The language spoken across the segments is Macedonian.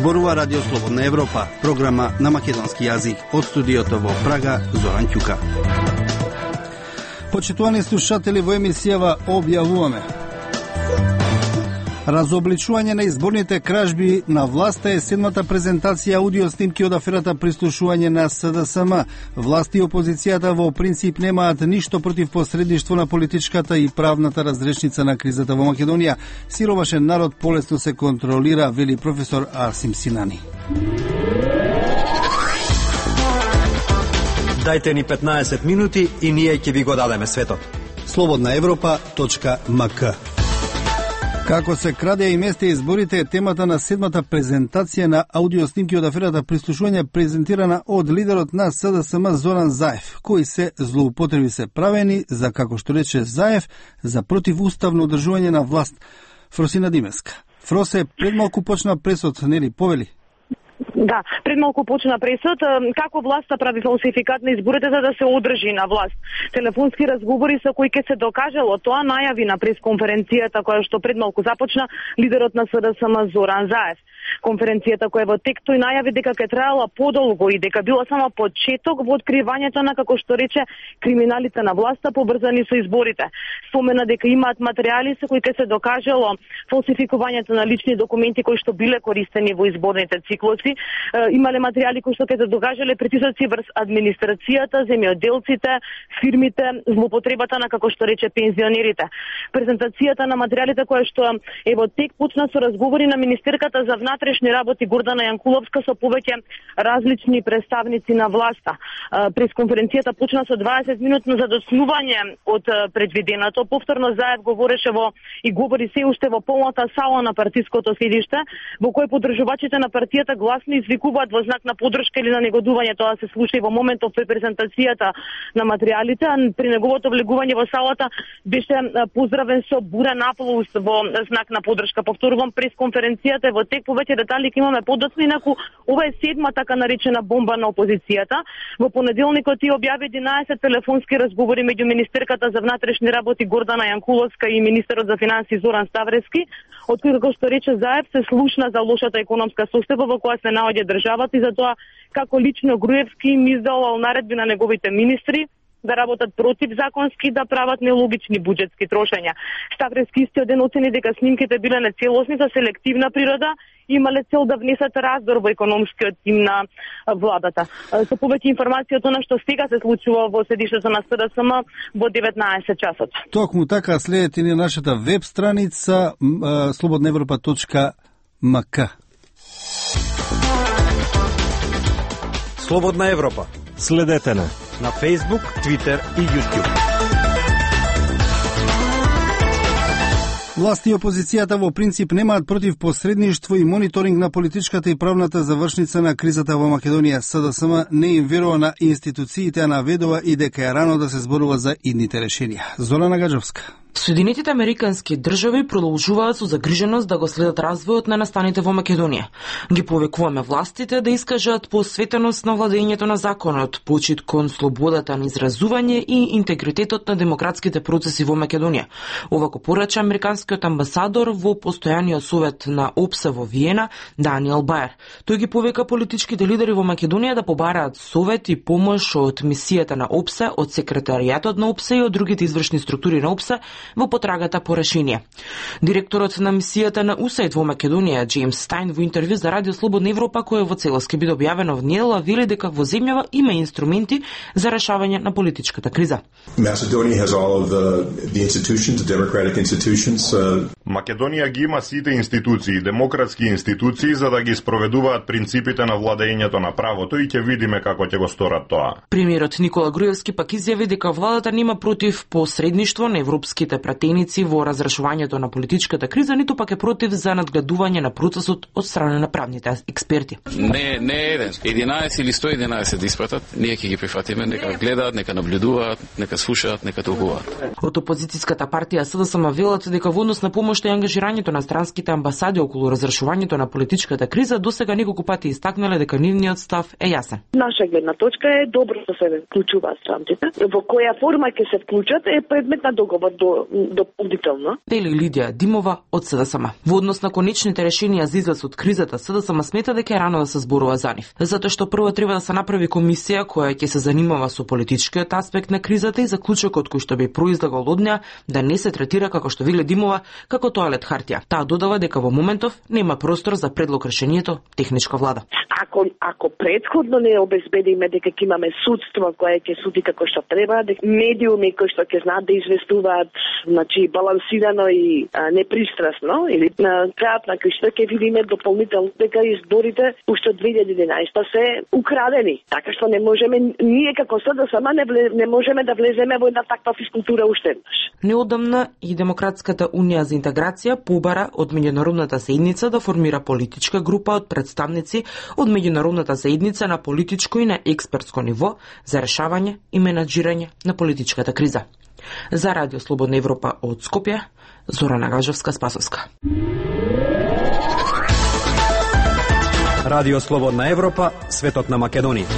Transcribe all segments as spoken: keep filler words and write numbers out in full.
Зборува Радио Слободна Европа, програма на македонски јазик. Од студиото во Прага, Зоран Ќука. Почитувани слушатели, во емисијава објавуваме: разобличување на изборните кражби на власта е седмата презентација аудио снимки од аферата прислушување на С Д С М. Власт и опозицијата во принцип немаат ништо против посредништво на политичката и правната разрешница на кризата во Македонија. Сиромашен народ полесно се контролира, вели професор Арсим Синани. Дајте ни петнаесет минути и ние ќе ви го дадеме светот. слободна европа точка м к. Како се краде и месте изборите е темата на седмата презентација на аудиоснимки од аферата прислушување, презентирана од лидерот на С Д С М Зоран Заев, кои се злоупотреби се правени за, како што рече Заев, за противуставно одржување на власт. Фросина Димеска. Фросе, предмалку почна пресод, нели, повели? Да, пред малку почна пресод како власта прави фалсификат на изборите за да се одржи на власт. Телефонски разговори со кои ќе се докажало тоа, најави на пресконференцијата која што пред малку започна лидерот на С Д С М Зоран Заев. Конференцијата која во тек тој најави дека ќе траела подолго и дека било само почеток во откривањето на, како што рече, криминалите на власта поврзани со изборите. Спомена дека имаат материјали со кои ќе се докажало фалсификувањето на лични документи кои што биле користени во изборните циклуси. Имале материјали кои што ќе се докажале притисоци врз администрацијата, земјоделците, фирмите, злоупотребата на, како што рече, пензионерите. Презентацијата на материјалите која што е во тек почна со разговори на министерката за внатрешни работи Гордана Јанкуловска со повеќе различни представници на власта. Пресконференцијата почна со дваесет минутно задоснување од предвиденото. Повторно Заев говореше во и говори се уште во полната сала на партиското седиште, во кој поддржувачите на партијата гласно извикуваат во знак на поддршка или на негодување. Тоа се слуша и во моментов при презентацијата на материјалите, а при неговото влегување во салата беше поздравен со бурен аплауз во знак на поддршка. Повторувам, пресконференцијата е во тек, повеќе детали ќе имаме подоцна, инаку ова е седма така наречена бомба на опозицијата. Во понеделникот и објави единаесет телефонски разговори меѓу министерката за внатрешни работи Гордана Јанкуловска и министерот за финансии Зоран Ставревски, од кој, како што рече Заев, се слушна за лошата економска состојба во која се наоѓа државата и за тоа како лично Груевски им издавал наредби на неговите министри да работат против законски, да прават нелогични буџетски трошења. Ставревски истиот ден оцени дека снимките биле нецелосни, со селективна природа, имале цел да внесат раздор во економскиот тим на владата. Со повеќе информации од она што сега се случува во седиштето на С Д С М во деветнаесет часот. Токму така, следете ни нашата веб страница слободна европа точка м к. Слободна Европа. Следете на на Facebook, Twitter и YouTube. Власт и опозицијата во принцип немаат против посредништво и мониторинг на политичката и правната завршница на кризата во Македонија. С Д С М не им верува на институциите, а наведува и дека е рано да се зборува за идните решенија. Зорана Гаджовска. Соединетите американски држави продолжуваат со загриженост да го следат развојот на настаните во Македонија. Ги повикуваме властите да искажат посветеност на владењето на законот, почит кон слободата на изразување и интегритетот на демократските процеси во Македонија. Ова го порача американскиот амбасадор во постојаниот совет на О П С во Виена, Даниел Баер. Тој ги повика политичките лидери во Македонија да побараат совет и помош од мисијата на О П С, од секретаријатот на О П С и од другите извршни структури на О П С во потрагата по решение. Директорот на мисијата на У С А И Д во Македонија, Джеймс Стајн, во интервју за Радио Слободна Европа, кој во целост ќе биде објавено во недела, вели дека во земјава има инструменти за решавање на политичката криза. Македонија ги има сите институции, демократски институции, за да ги спроведуваат принципите на владењето на правото и ќе видиме како ќе го сторат тоа. Премиерот Никола Груевски пак изјави дека владата нема против посредништво на европските пратеници во разрешувањето на политичката криза, ниту пак е против за надгледување на процесот од страна на правните експерти. Не, не е еден. единаесет или сто и единаесет испратат, ние ќе ги прифатиме, нека гледаат, нека наблюдуваат, нека слушаат, нека толкуваат. Од опозицијската партија С Д С М велат дека во однос на помошта и ангажирањето на странските амбасади околу разрешувањето на политичката криза, досега неколку пати истакнале дека нивниот став е јасен. Наша гледна точка е добро да се вклучуваат странците. Во која форма ќе се вклучат е предмет на договор. До дополнително. Вели Лидија Димова од СДСМ. Во однос на конечните решенија за излез од кризата, СДСМ смета дека е рано да се зборува за нив, затоа што прво треба да се направи комисија која ќе се занимава со политичкиот аспект на кризата и заклучокот кој што би произлегол од неа да не се третира, како што вели Димова, како тоалет хартија. Таа додава дека во моментов нема простор за предлог решението техничка влада. Ако ако претходно не обезбедиме дека ќе имаме судство кое ќе суди како што треба, дека медиуми кои што ќе знаат да известуваат, значи балансирано и а, непристрасно, или на крајот на крајшта ќе видиме дополнително дека изборите уште од две илјади и единаесета се украдени. Така што не можеме ние како СДСМ не, не можеме да влеземе во една таква физкултура уште еднаш. Неодамна и Демократската унија за интеграција побара од меѓународната заедница да формира политичка група од представници од меѓународната заедница на политичко и на експертско ниво за решавање и менаџирање на политичката криза. За Радио Слободна Европа од Скопје, Зорана Гажовска-Спасовска. Радио Слободна Европа, светот на Македонија.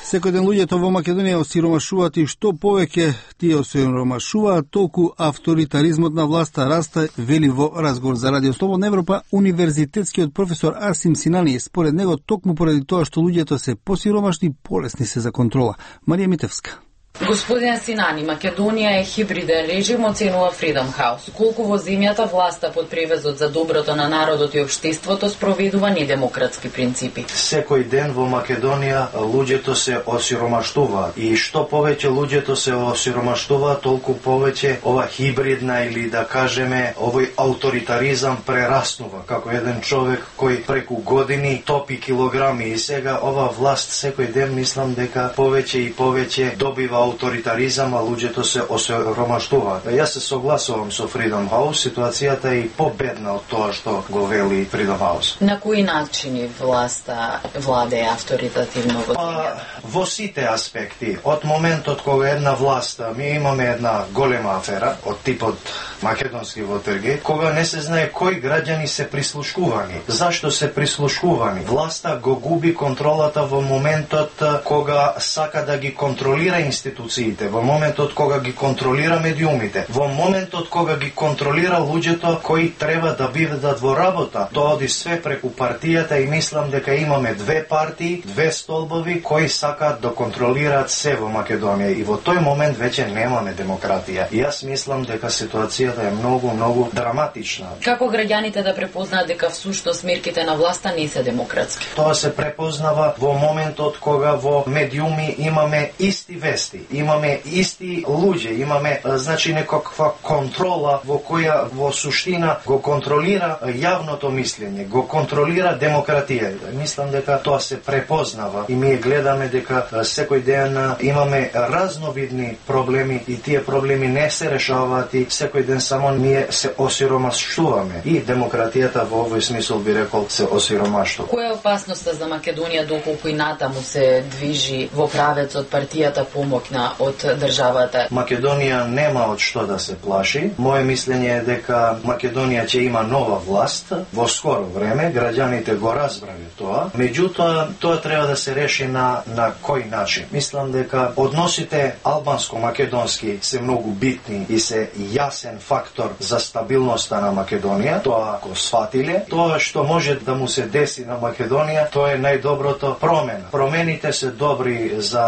Секој ден луѓето во Македонија осиромашуваат и што повеќе тие осиромашуваат, толку авторитаризмот на власта расте, вели во разговор за Радио Слободна Европа универзитетскиот професор Арсим Синани. Според него, токму поради тоа што луѓето се посиромашни, полесни се за контрола. Марија Митевска. Господин Синани, Македонија е хибриден режим, оценува Freedom House. Колку во земјата власта под превезот за доброто на народот и општеството спроведува недемократски принципи. Секој ден во Македонија луѓето се осиромаштуваат и што повеќе луѓето се осиромаштуваат, толку повеќе ова хибридна или да кажеме овој авторитаризам прераснува како еден човек кој преку години топи килограми и сега ова власт секој ден мислам дека повеќе и повеќе добива авторитаризам, а луѓето се осиромаштуваат. Јас се согласувам со Freedom House, ситуацијата е и победна од тоа што го вели Freedom House. На кои начини власта владее авторитативно во земјата? Во сите аспекти. Од моментот кога една власт, ми имаме една голема афера од типот македонски Watergate, кога не се знае кои граѓани се прислушкувани. Зашто се прислушкувани? Власта го губи контролата во моментот кога сака да ги контролира институциите, во моментот кога ги контролира медиумите, во моментот кога ги контролира луѓето кои треба да бидат во работа. Тоа оди све преку партијата и мислам дека имаме две партии, две столбови кои сакаат да контролираат се во Македонија и во тој момент веќе немаме демократија. И јас мислам дека ситуацијата е многу, многу драматична. Како граѓаните да препознаат дека всушност мерките на власта не се демократски? Тоа се препознава во моментот кога во медиуми имаме исти вести, имаме исти луѓе, имаме значи некаква контрола во која во суштина го контролира јавното мислење, го контролира демократија. Мислам дека тоа се препознава и ние гледаме дека секој ден имаме разновидни проблеми и тие проблеми не се решаваат и секој ден само ние се осиромаштуваме и демократијата во овој смисол би рекол се осиромаштува. Која е опасноста за Македонија доколку и натаму се движи во правецот партијата помогна од државата? Македонија нема од што да се плаши. Моje мислење е дека Македонија ќе има нова власт во скоро време, граѓаните го разбрале тоа. Меѓутоа, тоа треба да се реши на на кој начин. Мислам дека односите албанско-македонски се многу битни и се јасен фактор за стабилноста на Македонија. Тоа го сфатиле. Тоа што може да му се деси на Македонија, тоа е најдоброто промена. Промените се добри за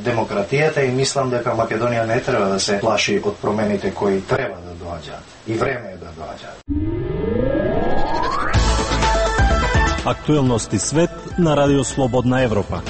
демократијата и мислам дека Македонија не треба да се плаши од промените кои треба да доаѓаат. И време е да доаѓаат. Актуелности свет на Радио Слободна Европа.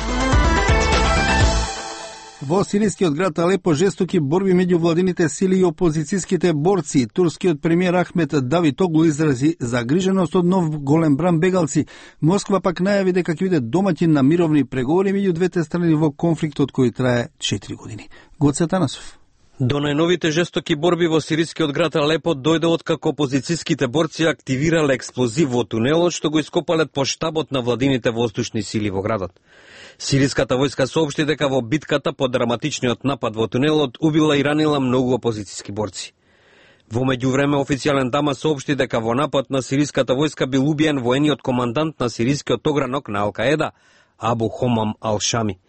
Во сирискиот град Алепо жестоки борби меѓу владините сили и опозицијските борци. Турскиот премиер Ахмет Давитоглу изрази загриженост од нов голем бран бегалци. Москва пак најави дека ќе биде домаќин на мировни преговори меѓу двете страни во конфликтот кој трае четири години. Гоце Танасов. До најновите жестоки борби во сирискиот град Алепо дојде откако опозицијските борци активирале експлозив во тунелот што го ископале по штабот на владините воздушни сили во градот. Сириската војска соопшти дека во битката по драматичниот напад во тунелот убила и ранила многу опозицијски борци. Во меѓувреме официјален Дама соопшти дека во напад на сириската војска бил убиен воениот командант на сирискиот огранок на Ал-Каеда, Абу Хомам Ал-Шами.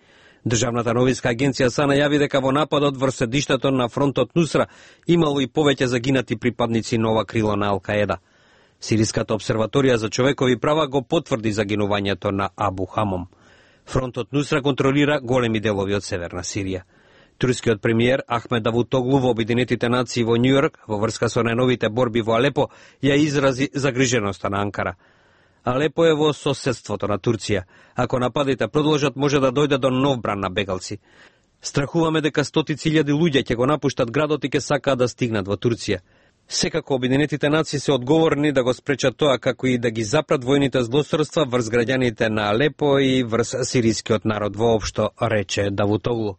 Државната новинска агенција САНА јави дека во нападот врз седиштето на фронтот Нусра имало и повеќе загинати припадници на ова крило на Ал-Каеда. Сириската обсерваторија за човекови права го потврди загинувањето на Абу Хамом. Фронтот Нусра контролира големи делови од северна Сирија. Турскиот премиер Ахмед Давутоглу во Обединетите нации во Њујорк во врска со најновите борби во Алепо ја изрази загриженоста на Анкара. Алепо е во соседството на Турција. Ако нападите продолжат, може да дојде до нов бран на бегалци. Страхуваме дека стотици илјади луѓе ќе го напуштат градот и ќе сакаат да стигнат во Турција. Секако Обединетите нации се одговорни да го спречат тоа, како и да ги запрат војните злосторства врз граѓаните на Алепо и врз сирискиот народ воопшто, рече Давутоглу.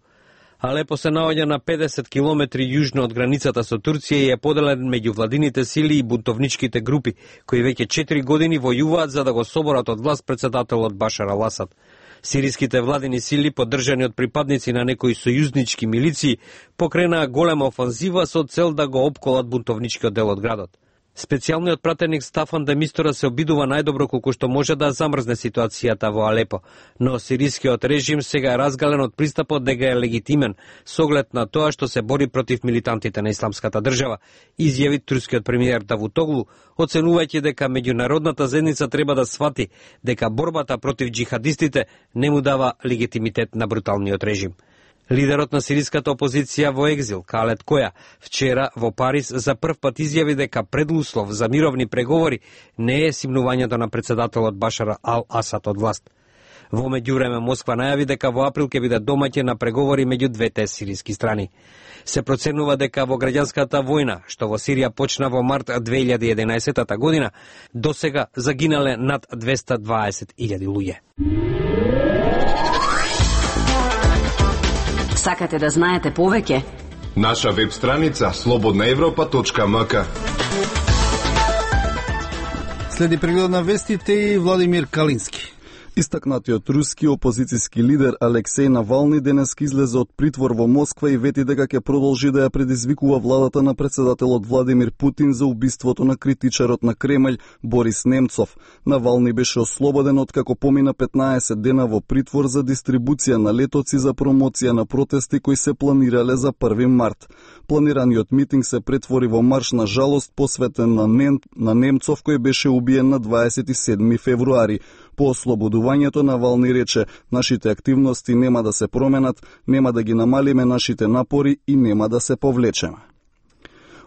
Алепо се наоѓа на педесет километри јужно од границата со Турција и е поделен меѓу владините сили и бунтовничките групи, кои веќе четири години војуваат за да го соборат од власт председателот Башар ал-Асад. Сириските владини сили, поддржани од припадници на некои сојузнички милиции, покренаа голема офанзива со цел да го опколат бунтовничкиот дел од градот. Специјалниот пратеник Стафан де Мистура се обидува најдобро колку што може да замрзне ситуацијата во Алепо, но сирискиот режим сега е разгален од пристапот дека е легитимен со оглед на тоа што се бори против милитантите на исламската држава, изјави турскиот премиер Давутоглу, оценувајќи дека меѓународната заедница треба да свати дека борбата против џихадистите не му дава легитимитет на бруталниот режим. Лидерот на сириската опозиција во екзил, Калет Која, вчера во Париз за прв пат изјави дека предуслов за мировни преговори не е симнувањето на председателот Башар ал-Асад од власт. Во меѓувреме Москва најави дека во април ќе биде домаќин на преговори меѓу двете сириски страни. Се проценува дека во граѓанската војна, што во Сирија почна во март две илјади и единаесетта година, досега загинале над двесте и дваесет илјади луѓе. Сакате да знаете повеќе? Наша веб страница слободна европа точка ем ка. Следи преглед на вестите и Владимир Калински. Истакнатиот руски опозицијски лидер Алексеј Навални денес излезе од притвор во Москва и вети дека ќе продолжи да ја предизвикува владата на председателот Владимир Путин за убиството на критичарот на Кремљ Борис Немцов. Навални беше ослободен откако помина петнаесет дена во притвор за дистрибуција на летоци за промоција на протести кои се планирале за први март. Планираниот митинг се претвори во марш на жалост посветен на, Нем... на Немцов кој беше убиен на дваесет и седми февруари. По ослободувањето Навални рече: нашите активности нема да се променат, нема да ги намалиме нашите напори и нема да се повлечеме.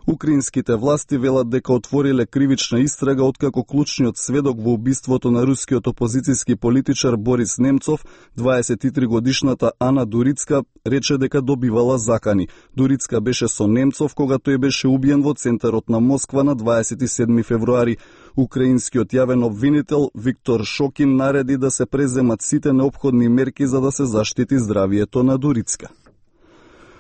Украинските власти велат дека отвориле кривична истрага откако клучниот сведок во убиството на рускиот опозицијски политичар Борис Немцов, дваесет и три годишната Ана Дурицка, рече дека добивала закани. Дурицка беше со Немцов кога тој беше убиен во центарот на Москва на дваесет и седми февруари. Украинскиот јавен обвинител Виктор Шокин нареди да се преземат сите неопходни мерки за да се заштити здравието на Дурицка.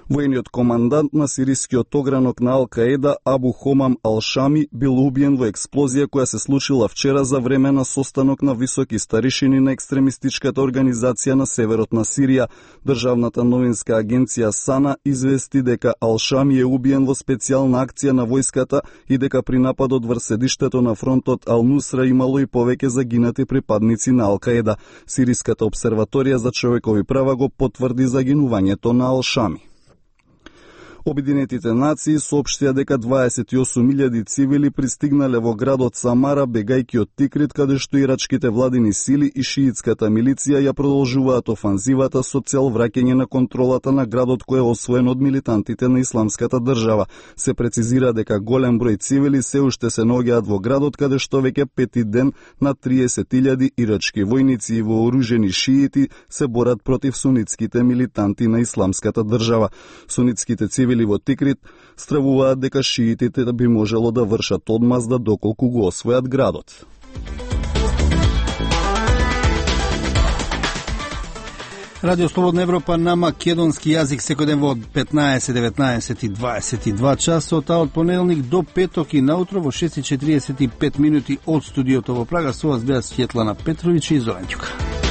Војниот командант на сирискиот огранок на Ал-Каеда Абу Хомам Ал-Шами бил убиен во експлозија која се случила вчера за време на состанок на високи старишини на екстремистичката организација на северот на Сирија. Државната новинска агенција САНА извести дека Ал-Шами е убиен во специјална акција на војската и дека при нападот врз седиштето на фронтот Ал-Нусра имало и повеќе загинати припадници на Ал-Каеда. Сириската обсерваторија за човекови права го потврди загинувањето на Ал-Шами. Обединетите нации соопштија дека дваесет и осум илјади цивили пристигнале во градот Самара бегајќи од Тикрит, каде што ирачките владини сили и шиитската милиција ја продолжуваат офанзивата со цел враќање на контролата на градот кој е освоен од милитантите на исламската држава. Се прецизира дека голем број цивили се уште се наоѓаат во градот, каде што веќе пети ден на триесет илјади ирачки војници и вооружени шиити се борат против сунитските милитанти на исламската држава. Сунитските цивили во Тикрит стравуваат дека шиитите би можело да вршат одмазда доколку го освојат градот. Радио Слободна Европа на македонски јазик секој ден во петнаесет, деветнаесет и дваесет и два часот, а од понеделник до петок и наутро во шест и четириесет и пет минути од студиото во Прага со вас беа Светлана Петровиќ и Зоран Ѓука.